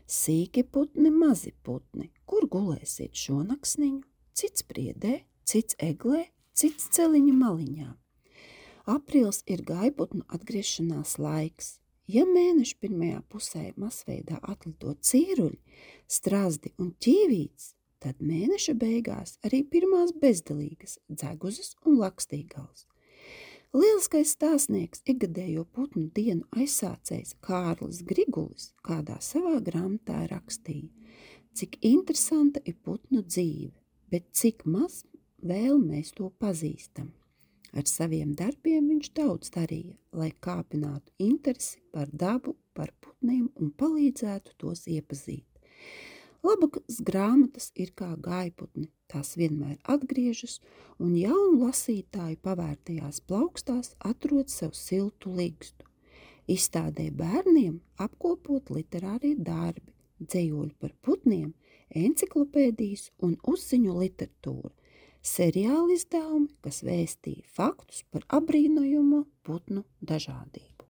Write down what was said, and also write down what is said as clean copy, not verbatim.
Sīki putni, mazi putni, kur gulēsiet šonaksniņu? Cits priedē, cits eglē, cits celiņa maliņā. Aprīls ir gaiputnu atgriešanās laiks. Ja mēneša pirmajā pusē masveidā atlido cīruļi, strazdi un ķīvīts, tad mēneša beigās arī pirmās bezdelīgas dzeguzes un lakstīgals. Lieliskais stāstnieks, ikgadējo putnu dienu aizsācējs Kārlis Grigulis kādā savā grāmatā rakstīja, cik interesanta ir putnu dzīve, bet cik maz vēl mēs to pazīstam. Ar saviem darbiem viņš daudz darīja, lai kāpinātu interesi par dabu, par putniem un palīdzētu tos iepazīt. Labas grāmatas ir kā gaiputni, tās vienmēr atgriežas un jaunu lasītāju pavērtajās plaukstās atrod sev siltu ligstu. Izstādē bērniem apkopot literārie darbi, dzejoļi par putniem, enciklopēdijas un uzziņu literatūra, seriāli izdevumi, kas vēstīja faktus par apbrīnojamo putnu dažādību.